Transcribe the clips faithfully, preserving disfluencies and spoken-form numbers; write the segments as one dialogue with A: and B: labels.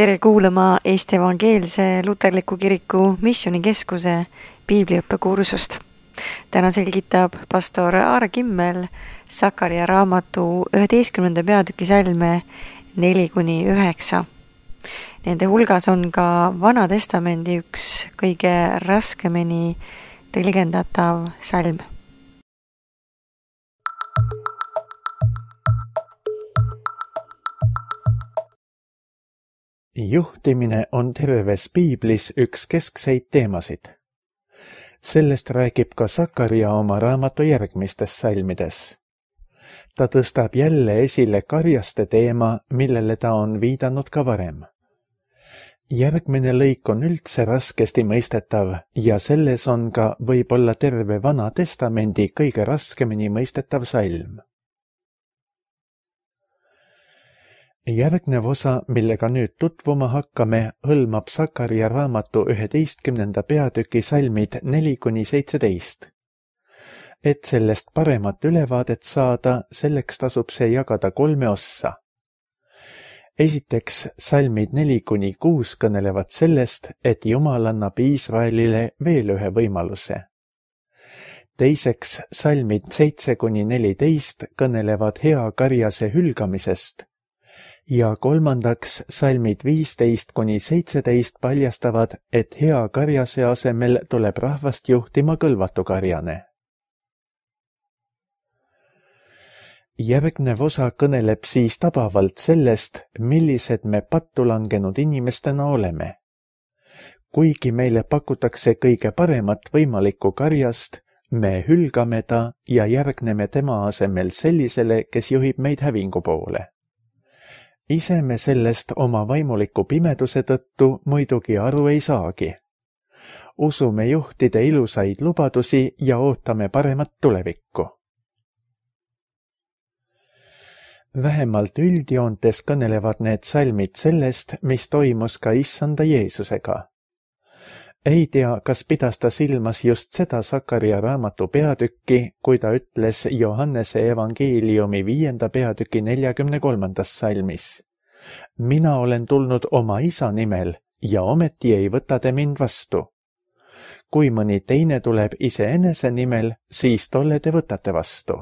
A: Tere kuulama Eesti Evangeelse Luterliku Kiriku Missioonikeskuse piibliõppekursust. Täna selgitab pastor Aare Kimmel Sakaria raamatu üheteistkümnenda peatüki salme neli kuni üheksa. Nende hulgas on ka Vana Testamendi üks kõige raskemini tõlgendatav salm.
B: Juhtimine on terves piiblis üks keskseid teemasid. Sellest räägib ka Sakaria oma raamatu järgmistes salmides. Ta tõstab jälle esile karjaste teema, millele ta on viidanud ka varem. Järgmine lõik on üldse raskesti mõistetav ja selles on ka võib-olla terve Vana Testamendi kõige raskemini mõistetav salm. Järgnev osa, millega nüüd tutvuma hakkame, hõlmab Sakaria raamatu üheteistkümnenda peatüki salmid neli kuni seitseteist. Et sellest paremat ülevaadet saada, selleks tasub see jagada kolme ossa. Esiteks, salmid neli kuni kuus kõnelevad sellest, et Jumal annab Iisraelile veel ühe võimaluse. Teiseks, salmid seitse kuni neliteist kõnelevad hea karjase hülgamisest. Ja kolmandaks, salmid viisteist kuni seitseteist paljastavad, et hea karjase asemel tuleb rahvast juhtima kõlvatu karjane. Järgnev osa kõneleb siis tabavalt sellest, millised me pattu langenud inimestena oleme. Kuigi meile pakutakse kõige paremat võimalikku karjast, me hülgame ta ja järgneme tema asemel sellisele, kes juhib meid hävingu poole. Ise me sellest oma vaimuliku pimeduse tõttu muidugi aru ei saagi. Usume juhtide ilusaid lubadusi ja ootame paremat tulevikku. Vähemalt üldjoontes kõnelevad need salmid sellest, mis toimus ka issanda Jeesusega. Ei tea, kas pidas ta silmas just seda Sakaria raamatu peatükki, kui ta ütles Johannese evangeeliumi viienda peatüki neljakümne kolmandas salmis. Mina olen tulnud oma isa nimel ja ometi ei võta te mind vastu. Kui mõni teine tuleb iseenese nimel, siis tolle te võtate vastu.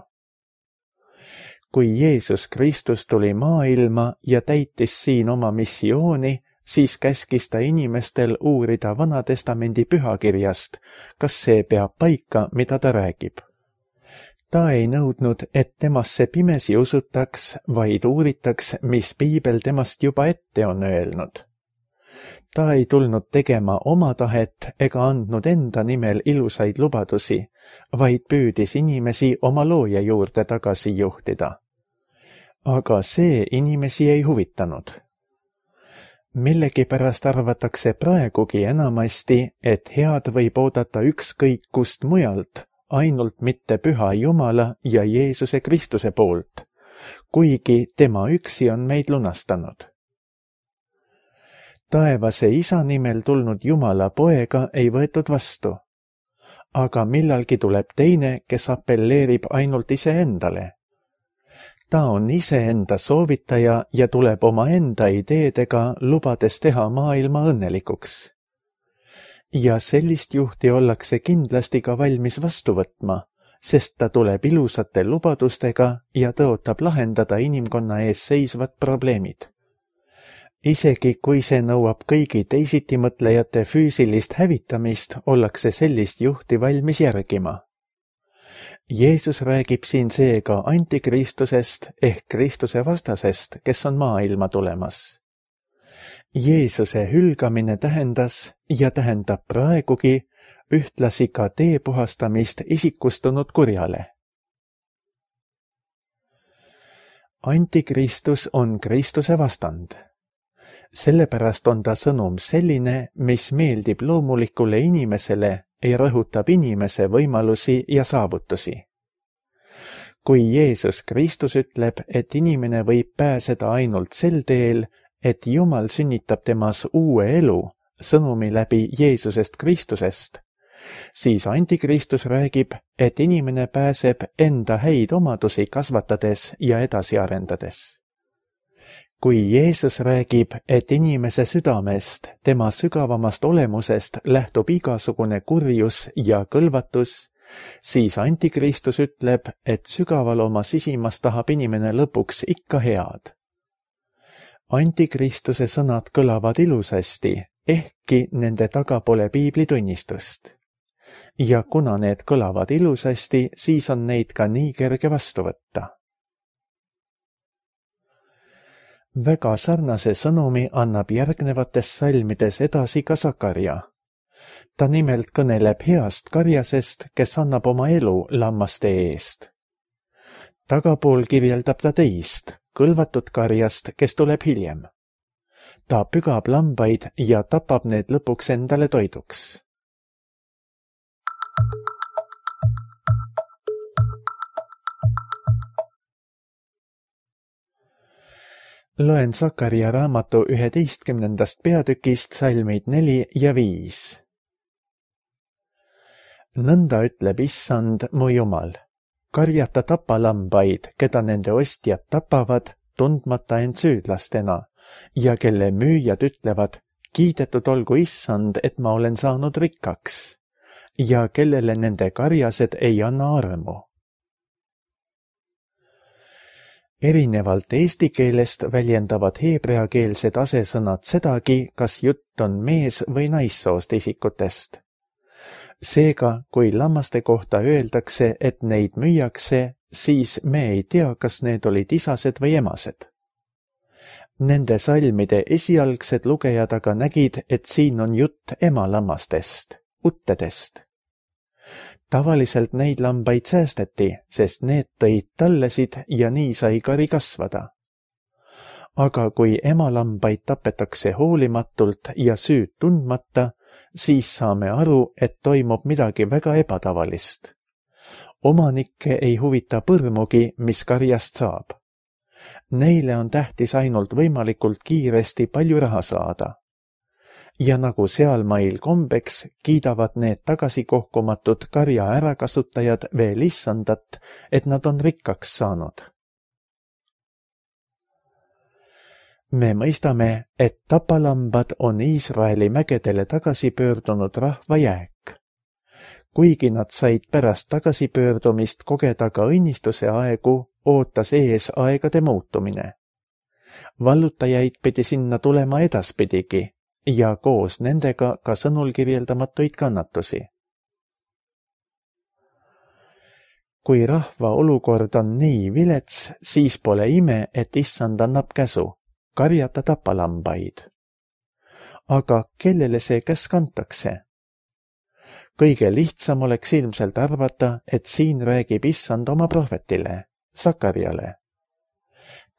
B: Kui Jeesus Kristus tuli maailma ja täitis siin oma missiooni, siis käskis ta inimestel uurida Vana Testamendi pühakirjast, kas see peab paika, mida ta räägib. Ta ei nõudnud, et temasse pimesi usutaks, vaid uuritaks, mis piibel temast juba ette on öelnud. Ta ei tulnud tegema oma tahet ega andnud enda nimel ilusaid lubadusi, vaid püüdis inimesi oma looja juurde tagasi juhtida. Aga see inimesi ei huvitanud. Millegipärast arvatakse praegugi enamasti, et head võib oodata ükskõik kust mujalt, ainult mitte püha Jumala ja Jeesuse Kristuse poolt, kuigi tema üksi on meid lunastanud. Taevase isa nimel tulnud Jumala poega ei võetud vastu, aga millalgi tuleb teine, kes appelleerib ainult iseendale. Ta on iseenda soovitaja ja tuleb oma enda ideedega, lubades teha maailma õnnelikuks. Ja sellist juhti ollakse kindlasti ka valmis vastu võtma, sest ta tuleb ilusate lubadustega ja tõotab lahendada inimkonna ees seisvad probleemid. Isegi kui see nõuab kõigi teisitimõtlejate füüsilist hävitamist, ollakse sellist juhti valmis järgima. Jeesus räägib siin seega antikristusest ehk Kristuse vastasest, kes on maailma tulemas. Jeesuse hülgamine tähendas ja tähendab praegugi ühtlasi ka tee puhastamist isikustunud kurjale. Antikristus on Kristuse vastand. Sellepärast on ta sõnum selline, mis meeldib loomulikule inimesele ja rõhutab inimese võimalusi ja saavutusi. Kui Jeesus Kristus ütleb, et inimene võib pääseda ainult sel teel, et Jumal sünnitab temas uue elu, sõnumi läbi Jeesusest Kristusest, siis antikristus räägib, et inimene pääseb enda häid omadusi kasvatades ja edasi arendades. kui Jeesus räägib, et inimese südamest, tema sügavamast olemusest lähtub igasugune kurjus ja kõlvatus, siis Antikristus ütleb, et sügaval oma sisimas tahab inimene lõpuks ikka head. Antikristuse sõnad kõlavad ilusasti, ehkki nende taga pole piibli tunnistust. Ja kuna need kõlavad ilusasti, siis on neid ka nii kerge vastu võtta. Väga sarnase sõnumi annab järgnevates salmides edasi ka Sakarja. Ta nimelt kõneleb heast karjasest, kes annab oma elu lammaste eest. Tagapool kirjeldab ta teist, kõlvatud karjast, kes tuleb hiljem. Ta pügab lambaid ja tapab need lõpuks endale toiduks. Loen Sakarja raamatu üheteistkümnendast peatükist salmid neli ja viis. Nõnda ütleb Issand, mu Jumal, karjata tapalambaid, keda nende ostjad tapavad, tundmata end süüdlastena, ja kelle müüjad ütlevad, kiidetud olgu Issand, et ma olen saanud rikkaks, ja kellele nende karjased ei anna armu. Erinevalt eesti keelest väljendavad heebreakeelsed asesõnad sedagi, kas jutt on mees- või naissoost isikutest. Seega, kui lammaste kohta öeldakse, et neid müüakse, siis me ei tea, kas need olid isased või emased. Nende salmide esialgsed lugejad aga nägid, et siin on jutt emalammastest, uttedest. Tavaliselt neid lambaid säästeti, sest need tõid tallesid ja nii sai kari kasvada. Aga kui emalambaid tapetakse hoolimatult ja süüd tundmata, siis saame aru, et toimub midagi väga ebatavalist. Omanikke ei huvita põrmugi, mis karjast saab. Neile on tähtis ainult võimalikult kiiresti palju raha saada. Ja nagu sealmail kombeks, kiidavad need tagasikohkumatud karja ärakasutajad veel Issandat, et nad on rikkaks saanud. Me mõistame, et tapalambad on Iisraeli mägedele tagasi pöördunud rahva jääk. Kuigi nad said pärast tagasipöördumist kogeda ka õnnistuse aegu, ootas ees aegade muutumine. Vallutajaid pidi sinna tulema edaspidigi ja koos nendega ka sõnul kirjeldamatuid kannatusi. Kui rahva olukord on nii vilets, siis pole ime, et Issand annab käsu karjata tapalambaid. Aga kellele see käsk antakse? Kõige lihtsam oleks ilmselt arvata, et siin räägib Issand oma prohvetile, Sakarjale.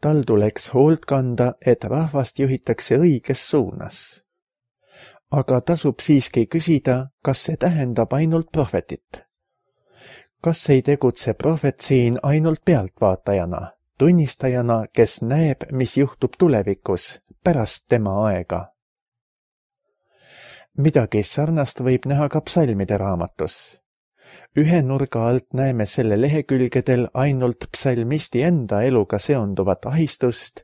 B: Tal tuleks hoolt kanda, et rahvast juhitakse õiges suunas. Aga tasub siiski küsida, kas see tähendab ainult prohvetit. Kas ei tegutse prohvet siin ainult pealtvaatajana, tunnistajana, kes näeb, mis juhtub tulevikus, pärast tema aega? Midagi sarnast võib näha ka psalmide raamatus. Ühe nurga alt näeme selle lehekülgedel ainult psalmisti enda eluga seonduvat ahistust,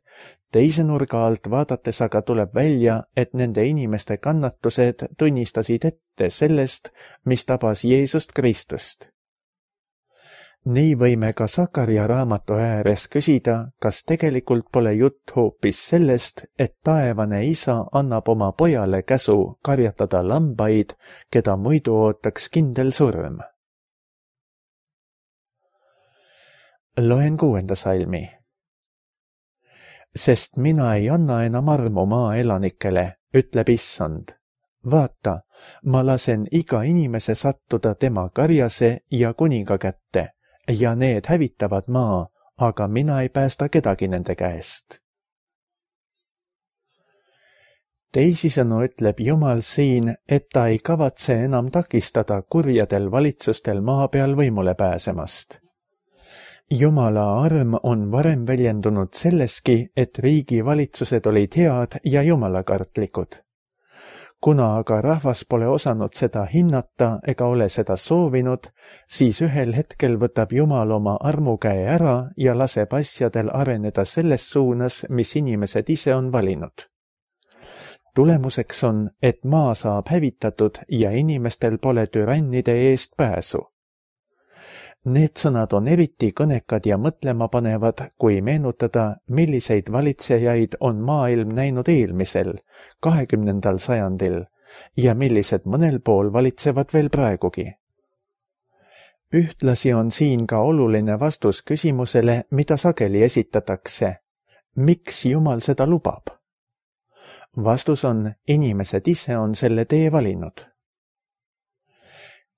B: teise nurga alt vaadates aga tuleb välja, et nende inimeste kannatused tunnistasid ette sellest, mis tabas Jeesust Kristust. Nii võime ka Sakarja raamatu ääres küsida, kas tegelikult pole jutt hoopis sellest, et taevane isa annab oma pojale käsu karjatada lambaid, keda muidu ootaks kindel surm. Loen kuuenda salmi. Sest mina ei anna enam armu maa elanikele, ütleb Issand. Vaata, ma lasen iga inimese sattuda tema karjase ja kuninga kätte, ja need hävitavad maa, aga mina ei päästa kedagi nende käest. Teisisõnu ütleb Jumal siin, et ta ei kavatse enam takistada kurjadel valitsustel maa peal võimule pääsemast. Jumala arm on varem väljendunud selleski, et riigi valitsused olid head ja jumalakartlikud. Kuna aga rahvas pole osanud seda hinnata ega ole seda soovinud, siis ühel hetkel võtab Jumal oma armukäe ära ja laseb asjadel areneda selles suunas, mis inimesed ise on valinud. Tulemuseks on, et maa saab hävitatud ja inimestel pole türannide eest pääsu. Need sõnad on eriti kõnekad ja mõtlema panevad, kui meenutada, milliseid valitsejaid on maailm näinud eelmisel, kahekümnendal sajandil ja millised mõnel pool valitsevad veel praegugi. Ühtlasi on siin ka oluline vastus küsimusele, mida sageli esitatakse. Miks Jumal seda lubab? Vastus on, inimesed ise on selle tee valinud.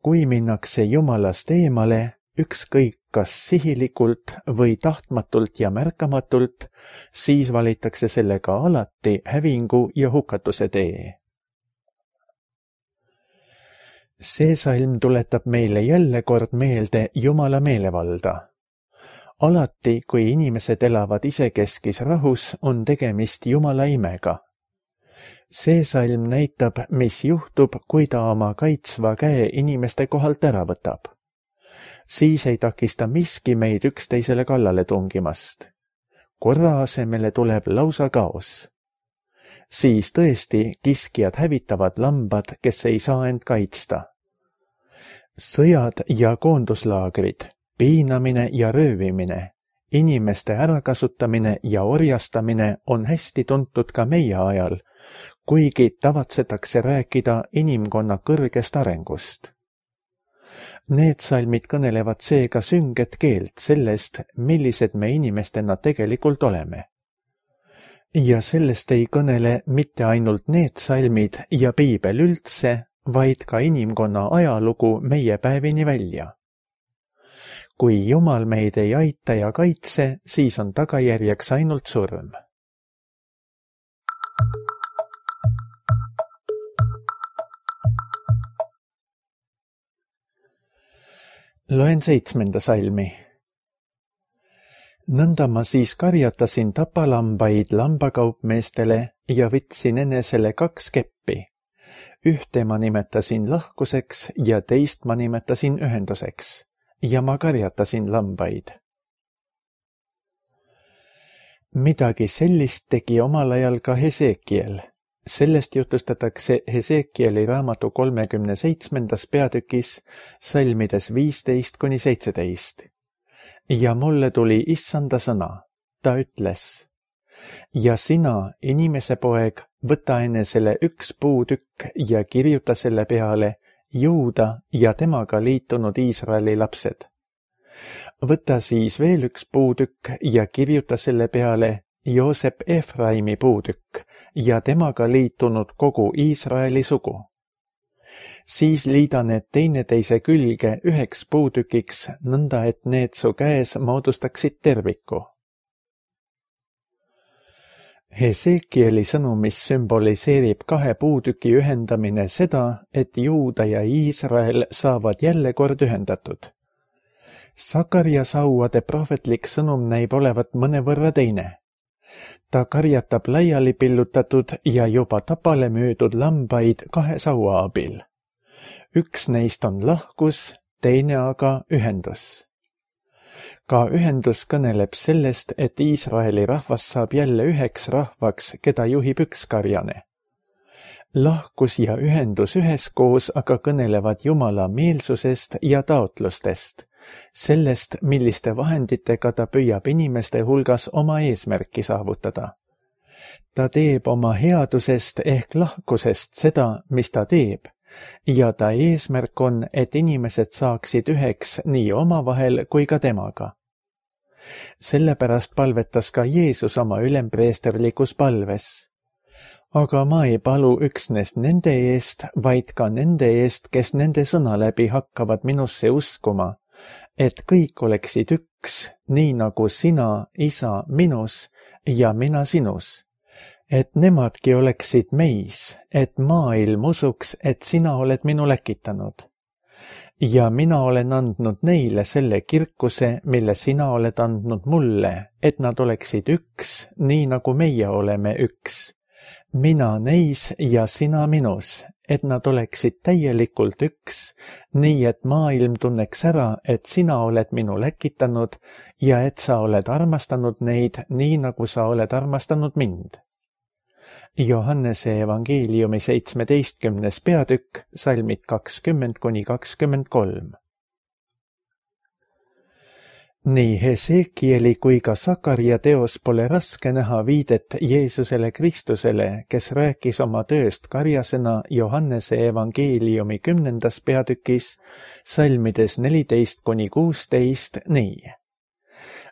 B: Kui minnakse Jumalast eemale, ükskõik kas sihilikult või tahtmatult ja märkamatult, siis valitakse sellega alati hävingu ja hukatuse tee. See salm tuletab meile jälle kord meelde Jumala meelevalda. Alati, kui inimesed elavad isekeskis rahus, on tegemist Jumala imega. See salm näitab, mis juhtub, kui ta oma kaitsva käe inimeste kohalt ära võtab. Siis ei takista miski meid üksteisele kallale tungimast. Korra asemele tuleb lausa kaos. Siis tõesti kiskjad hävitavad lambad, kes ei saa end kaitsta. Sõjad ja koonduslaagrid, piinamine ja röövimine, inimeste ärakasutamine ja orjastamine on hästi tuntud ka meie ajal, kuigi tavatsetakse rääkida inimkonna kõrgest arengust. Need salmid kõnelevad seega sünget keelt sellest, millised me inimestena tegelikult oleme. Ja sellest ei kõnele mitte ainult need salmid ja piibel üldse, vaid ka inimkonna ajalugu meie päevini välja. Kui Jumal meid ei aita ja kaitse, siis on tagajärjeks ainult surm. Loen seitsmenda salmi. Nõnda ma siis karjatasin tapalambaid lambakaupmeestele ja võtsin enesele kaks keppi. Ühte ma nimetasin lahkuseks ja teist ma nimetasin ühenduseks ja ma karjatasin lambaid. Midagi sellist tegi omal ajal ka Hesekiel. Sellest jutustatakse Hesekieli raamatu kolmekümne seitsmendas peatükis salmides viisteist kuni seitseteist. Ja mulle tuli issanda sõna. Ta ütles, ja sina, inimese poeg, võta enesele üks puutükk ja kirjuta selle peale Juuda ja temaga liitunud Iisraeli lapsed. Võta siis veel üks puutükk ja kirjuta selle peale Joosep Efraimi puutükk ja temaga liitunud kogu Iisraeli sugu. Siis liida need teineteise külge üheks puutükiks, nõnda et need su käes moodustaksid terviku. Hesekieli sõnumis sümboliseerib kahe puutüki ühendamine seda, et Juuda ja Iisrael saavad jälle kord ühendatud. Sakaria sauade prohvetlik sõnum näib olevat mõnevõrra teine. Ta karjatab laiali pillutatud ja juba tapale müüdud lambaid kahe saua abil. Üks neist on lahkus, teine aga ühendus. Ka ühendus kõneleb sellest, et Iisraeli rahvas saab jälle üheks rahvaks, keda juhib üks karjane. Lahkus ja ühendus üheskoos aga kõnelevad Jumala meelsusest ja taotlustest, sellest, milliste vahenditega ta püüab inimeste hulgas oma eesmärki saavutada. Ta teeb oma headusest ehk lahkusest seda, mis ta teeb, ja ta eesmärk on, et inimesed saaksid üheks nii omavahel kui ka temaga. Sellepärast palvetas ka Jeesus oma ülempreesterlikus palves. Aga ma ei palu üksnes nende eest, vaid ka nende eest, kes nende sõna läbi hakkavad minusse uskuma, et kõik oleksid üks, nii nagu sina, isa, minus ja mina sinus, et nemadki oleksid meis, et maailm usuks, et sina oled minu läkitanud. Ja mina olen andnud neile selle kirkuse, mille sina oled andnud mulle, et nad oleksid üks, nii nagu meie oleme üks, mina neis ja sina minus, et nad oleksid täielikult üks, nii et maailm tunneks ära, et sina oled minu läkitanud ja et sa oled armastanud neid nii, nagu sa oled armastanud mind. Johannese evangeeliumi seitsmeteistkümnes peatükk, salmid kakskümmend kuni kakskümmend kolm. Nii Hesekieli kui ka Sakaria teos pole raske näha viidet Jeesusele Kristusele, kes rääkis oma tööst karjasena Johannese evangeeliumi kümnendas peatükis, salmides neliteist kuni kuusteist nii.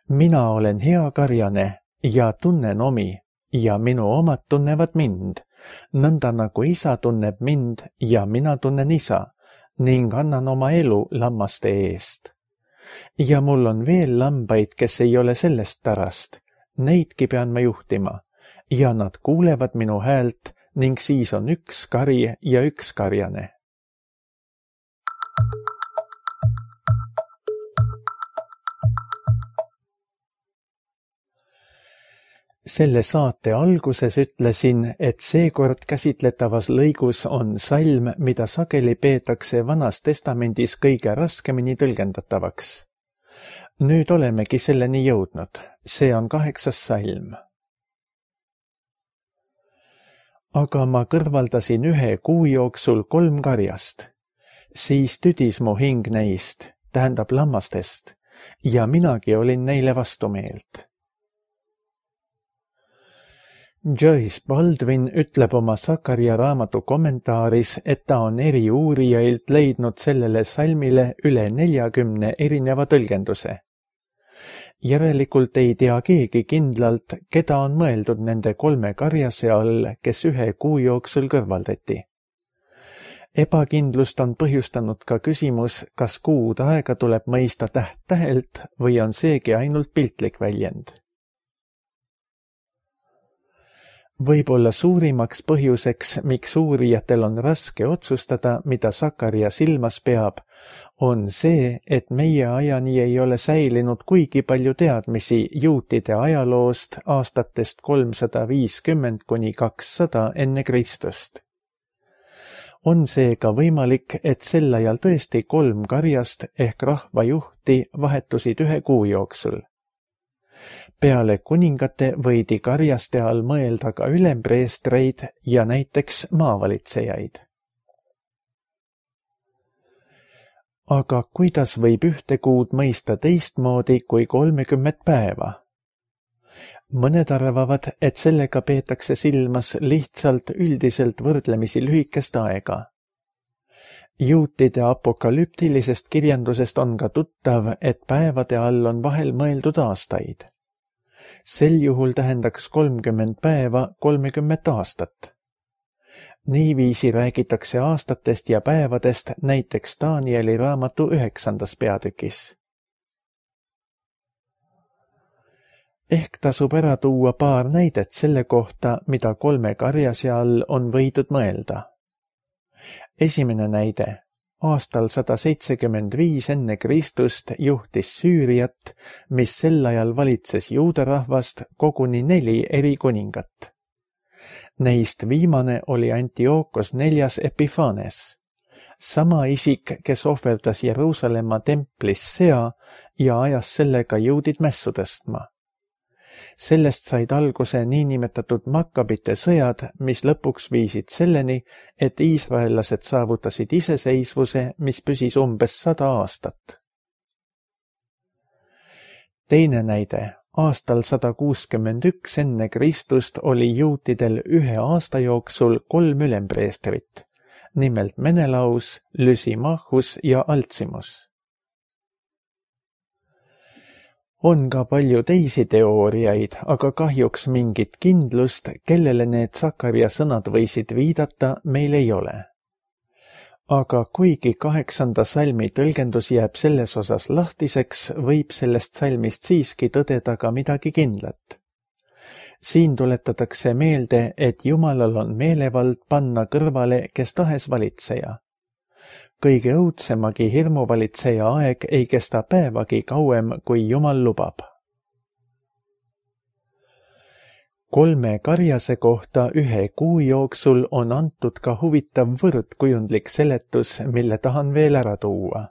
B: Mina olen hea karjane ja tunnen omi ja minu omad tunnevad mind, nõnda nagu isa tunneb mind ja mina tunnen isa ning annan oma elu lammaste eest. Ja mul on veel lambaid, kes ei ole sellest tarast, neidki pean ma juhtima ja nad kuulevad minu häält ning siis on üks kari ja üks karjane. Selle saate alguses ütlesin, et seekord käsitletavas lõigus on salm, mida sageli peetakse Vanas Testamendis kõige raskemini tõlgendatavaks. Nüüd olemegi selleni jõudnud. See on kaheksas salm. Aga ma kõrvaldasin ühe kuu jooksul kolm karjast. Siis tüdis mu hing neist, tähendab lammastest, ja minagi olin neile vastumeelt. Joyce Baldwin ütleb oma Sakaria raamatu kommentaaris, et ta on eri uurijailt leidnud sellele salmile üle neljakümne erineva tõlgenduse. Järelikult ei tea keegi kindlalt, keda on mõeldud nende kolme karjase all, kes ühe kuu jooksul kõrvaldati. Ebakindlust on põhjustanud ka küsimus, kas kuud aega tuleb mõista täht-tähelt või on seegi ainult piltlik väljend. Võib-olla suurimaks põhjuseks, miks uurijatel on raske otsustada, mida Sakaria silmas peab, on see, et meie ajani ei ole säilinud kuigi palju teadmisi juutide ajaloost aastatest kolmsada viiskümmend kuni kakssada enne Kristust. On seega võimalik, et sel ajal tõesti kolm karjast ehk rahvajuhti vahetusid ühe kuu jooksul. Peale kuningate võidi karjaste all mõelda ka ülempreestreid ja näiteks maavalitsejaid. Aga kuidas võib ühte kuud mõista teistmoodi kui kolmekümmet päeva? Mõned arvavad, et sellega peetakse silmas lihtsalt üldiselt võrdlemisi lühikest aega. Juutide apokalüptilisest kirjandusest on ka tuttav, et päevade all on vahel mõeldud aastaid. Sel juhul tähendaks kolmkümmend päeva kolmekümmet aastat. Niiviisi räägitakse aastatest ja päevadest näiteks Danieli raamatu üheksandas peatükis. Ehk tasub ära tuua paar näidet selle kohta, mida kolme karjase all on võidud mõelda. Esimene näide. Aastal sada seitsekümmend viis enne Kristust juhtis Süüriat, mis sel ajal valitses juuda rahvast koguni neli eri kuningat. Neist viimane oli Antiookos neljas Epifanes. Sama isik, kes ohverdas Jeruusalemma templis sea ja ajas sellega juudid mässu tõstma. Sellest said alguse niinimetatud Makkabite sõjad, mis lõpuks viisid selleni, et iisraellased saavutasid iseseisvuse, mis püsis umbes sada aastat. Teine näide. Aastal sada kuuskümmend üks enne Kristust oli juutidel ühe aasta jooksul kolm ülempreestrit, nimelt Menelaus, Lysimachus ja Altsimus. On ka palju teisi teooriaid, aga kahjuks mingit kindlust, kellele need Sakaria sõnad võisid viidata, meil ei ole. Aga kuigi kaheksanda salmi tõlgendus jääb selles osas lahtiseks, võib sellest salmist siiski tõdeda ka midagi kindlat. Siin tuletatakse meelde, et Jumalal on meelevald panna kõrvale kes tahes valitseja. Kõige õudsemagi hirmuvalitseja aeg ei kesta päevagi kauem, kui Jumal lubab. kolme karjase kohta ühe kuu jooksul on antud ka huvitav võrdkujundlik seletus, mille tahan veel ära tuua.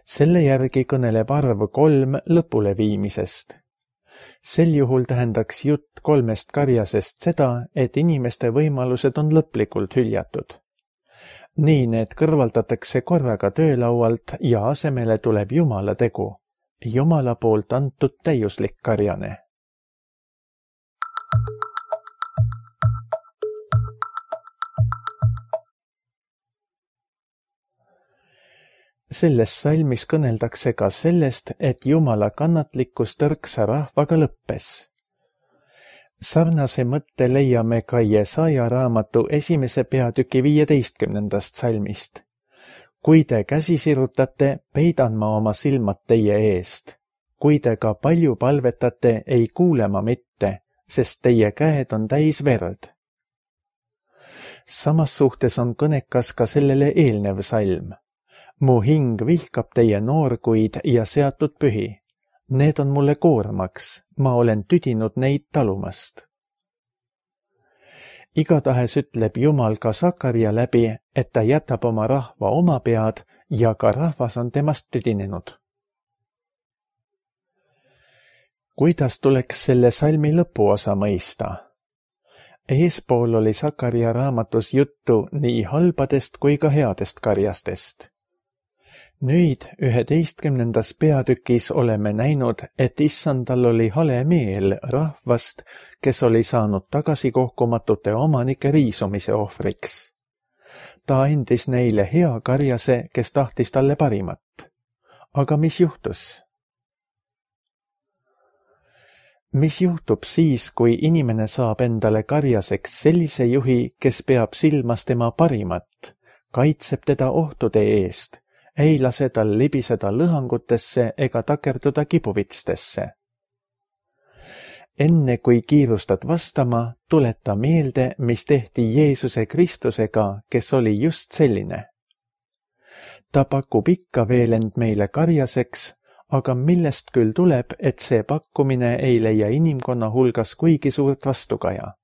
B: Selle järgi kõneleb arv kolm lõpuleviimisest. Sel juhul tähendaks jutt kolmest karjasest seda, et inimeste võimalused on lõplikult hüljatud. Nii need kõrvaldatakse korraga töölaualt ja asemele tuleb Jumala tegu, Jumala poolt antud täiuslik karjane. Selles salmis kõneldakse ka sellest, et Jumala kannatlikkus tõrksa rahvaga lõppes. Sarnase mõtte leiame ka Jesaja raamatu esimese peatüki viieteistkümnendast salmist. Kui te käsi sirutate, peidan ma oma silmad teie eest. Kui te ka palju palvetate, ei kuule ma mitte, sest teie käed on täis verd. Samas suhtes on kõnekas ka sellele eelnev salm. Mu hing vihkab teie noorkuid ja seatud pühi. Need on mulle koormaks, ma olen tüdinud neid talumast. Igatahes ütleb Jumal ka Sakaria läbi, et ta jätab oma rahva oma pead ja ka rahvas on temast tüdinenud. Kuidas tuleks selle salmi lõpuosa mõista? Eespool oli Sakaria raamatus juttu nii halbadest kui ka headest karjastest. Nüüd üheteistkümnendas peatükis oleme näinud, et issandal oli hale meel rahvast, kes oli saanud tagasikohkumatute omanike riisumise ohvriks. Ta andis neile hea karjase, kes tahtis talle parimat. Aga mis juhtus? Mis juhtub siis, kui inimene saab endale karjaseks sellise juhi, kes peab silmas tema parimat, kaitseb teda ohtude eest, ei lase tal libiseda lõhangutesse ega takerduda kibuvitstesse. Enne kui kiirustad vastama, tuleta meelde, mis tehti Jeesuse Kristusega, kes oli just selline. Ta pakub ikka veel end meile karjaseks, aga millest küll tuleb, et see pakkumine ei leia inimkonna hulgas kuigi suurt vastukaja.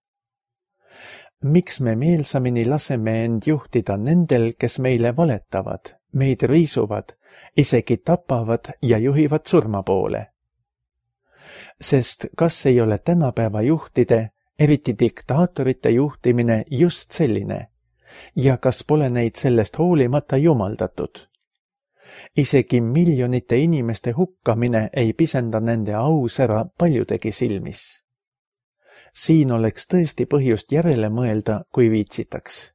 B: Miks me meelsamini laseme end juhtida nendel, kes meile valetavad, meid riisuvad, isegi tapavad ja juhivad surma poole? Sest kas ei ole tänapäeva juhtide, eriti diktaatorite juhtimine just selline? Ja kas pole neid sellest hoolimata jumaldatud? Isegi miljonite inimeste hukkamine ei pisenda nende ausära paljudegi silmis. Siin oleks tõesti põhjust järele mõelda, kui viitsitaks.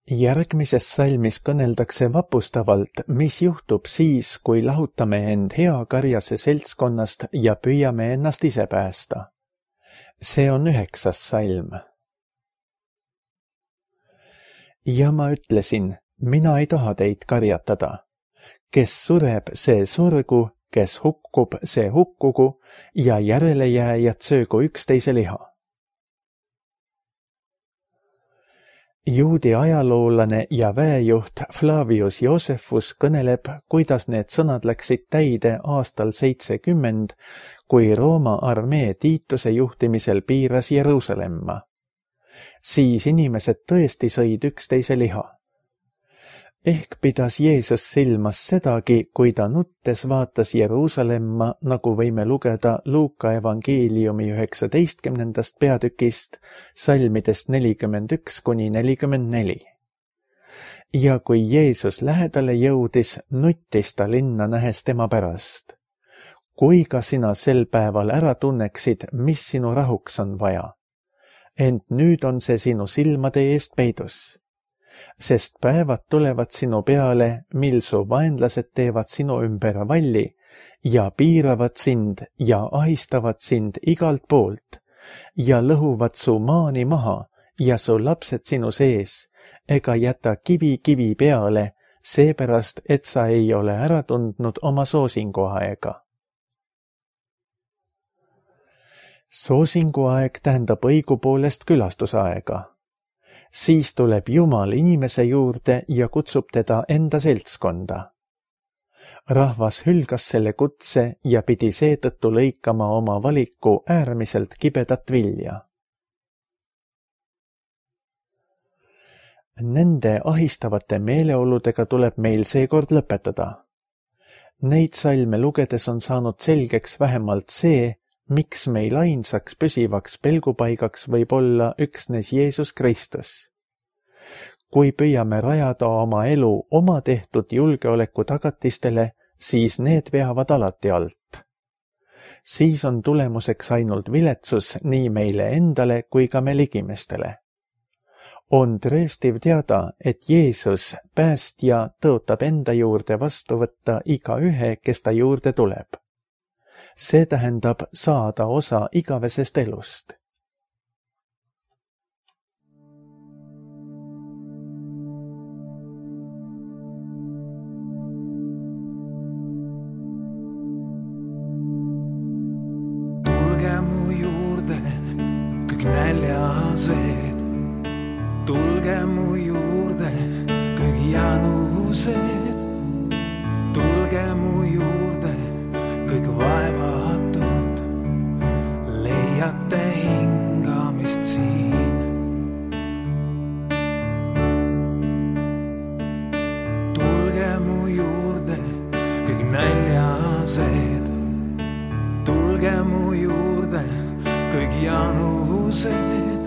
B: Järgmises salmis kõneldakse vapustavalt, mis juhtub siis, kui lahutame end hea karjase seltskonnast ja püüame ennast ise päästa. See on üheksas salm. Ja ma ütlesin, mina ei taha teid karjatada. Kes sureb, see surgu, kes hukkub, see hukkugu ja järelejääjad söögu üksteise liha. Juudi ajaloolane ja väejuht Flavius Josephus kõneleb, kuidas need sõnad läksid täide aastal seitsekümmend, kui Rooma armee Tiituse juhtimisel piiras Jeruusalemma. Siis inimesed tõesti sõid üksteise liha. Ehk pidas Jeesus silmas sedagi, kui ta nuttes vaatas Jeruusalemma, nagu võime lugeda Luuka evangeeliumi üheksateistkümnendast peatükist, salmidest nelikümmend üks kuni nelikümmend neli. Ja kui Jeesus lähedale jõudis, nuttis ta linna nähes tema pärast. Kui ka sina sel päeval ära tunneksid, mis sinu rahuks on vaja. Ent nüüd on see sinu silmade eest peidus. Sest päevad tulevad sinu peale, mil su vaenlased teevad sinu ümber valli ja piiravad sind ja ahistavad sind igalt poolt ja lõhuvad su maani maha ja su lapsed sinu sees ega jäta kivi kivi peale, seepärast, et sa ei ole ära tundnud oma soosinguaega. Soosinguaeg tähendab õigupoolest külastusaega. Siis tuleb Jumal inimese juurde ja kutsub teda enda seltskonda. Rahvas hülgas selle kutse ja pidi seetõttu lõikama oma valiku äärmiselt kibedat vilja. Nende ahistavate meeleoludega tuleb meil seekord lõpetada. Neid salme lugedes on saanud selgeks vähemalt see, miks meil ainsaks püsivaks pelgupaigaks võib olla üksnes Jeesus Kristus. Kui püüame rajada oma elu oma tehtud julgeoleku tagatistele, siis need veavad alati alt. Siis on tulemuseks ainult viletsus nii meile endale kui ka me ligimestele. On trööstiv teada, et Jeesus, päästja, tõotab enda juurde vastu võtta iga ühe, kes ta juurde tuleb. See tähendab saada osa igavesest elust.
C: Tulge mu juurde, kõik näljased. Tulge mu juurde, kõik janused. Tulge mu juurde, kõik vaevatud. Leiate hingamist siin. Tulge mu juurde, kõik näljased. Tulge mu juurde, kõik janused.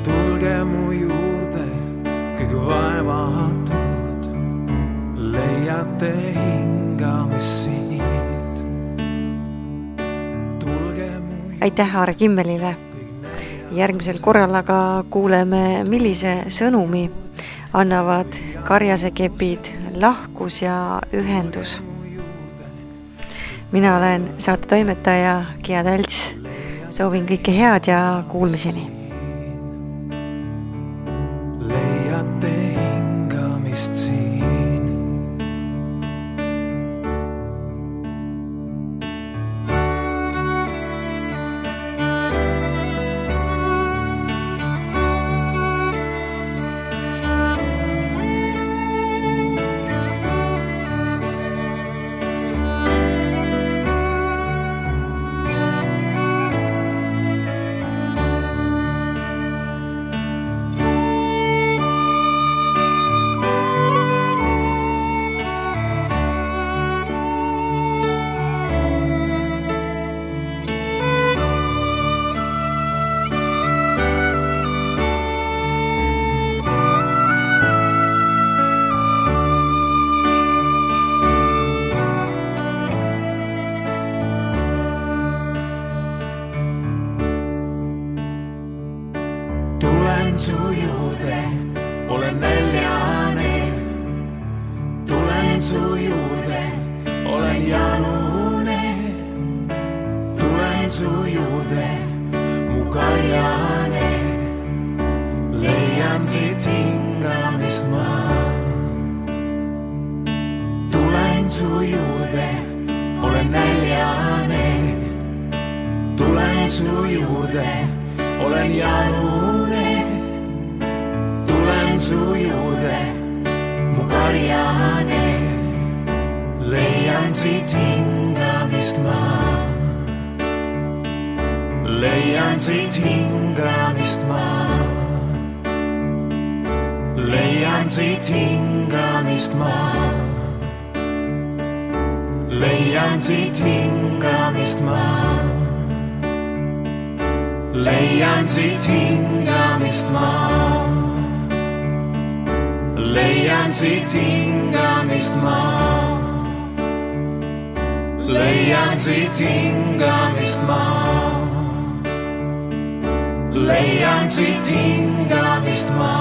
C: Tulge mu juurde, kõik vaevatud, leiate hingamist siit. Tulge mu juurde.
A: Aitäh Aare Kimmelile. Järgmisel korral aga kuuleme, millise sõnumi annavad karjasekepid, lahkus ja ühendus. Mina olen saate toimetaja Kia Tälts. Soovin kõike head ja kuulmiseni.
C: Leiate hingamist siin. Tulen su juurde, olen näljane. Tulen su juurde, olen janune. Tulen su juurde, mu karjane. Leian siit hingamist ma. Tulen su juurde, olen näljane. Tulen su juurde, olen janune. Tulen su juurde, mu karjane. Leian siit hingamist ma. Leian siit hingamist ma. Leian siit hingamist ma. Leian siit hingamist ma. Leian siit hingamist ma. Leian siit hingamist ma. Leian siit hingamist ma. Leian siit hingamist ma.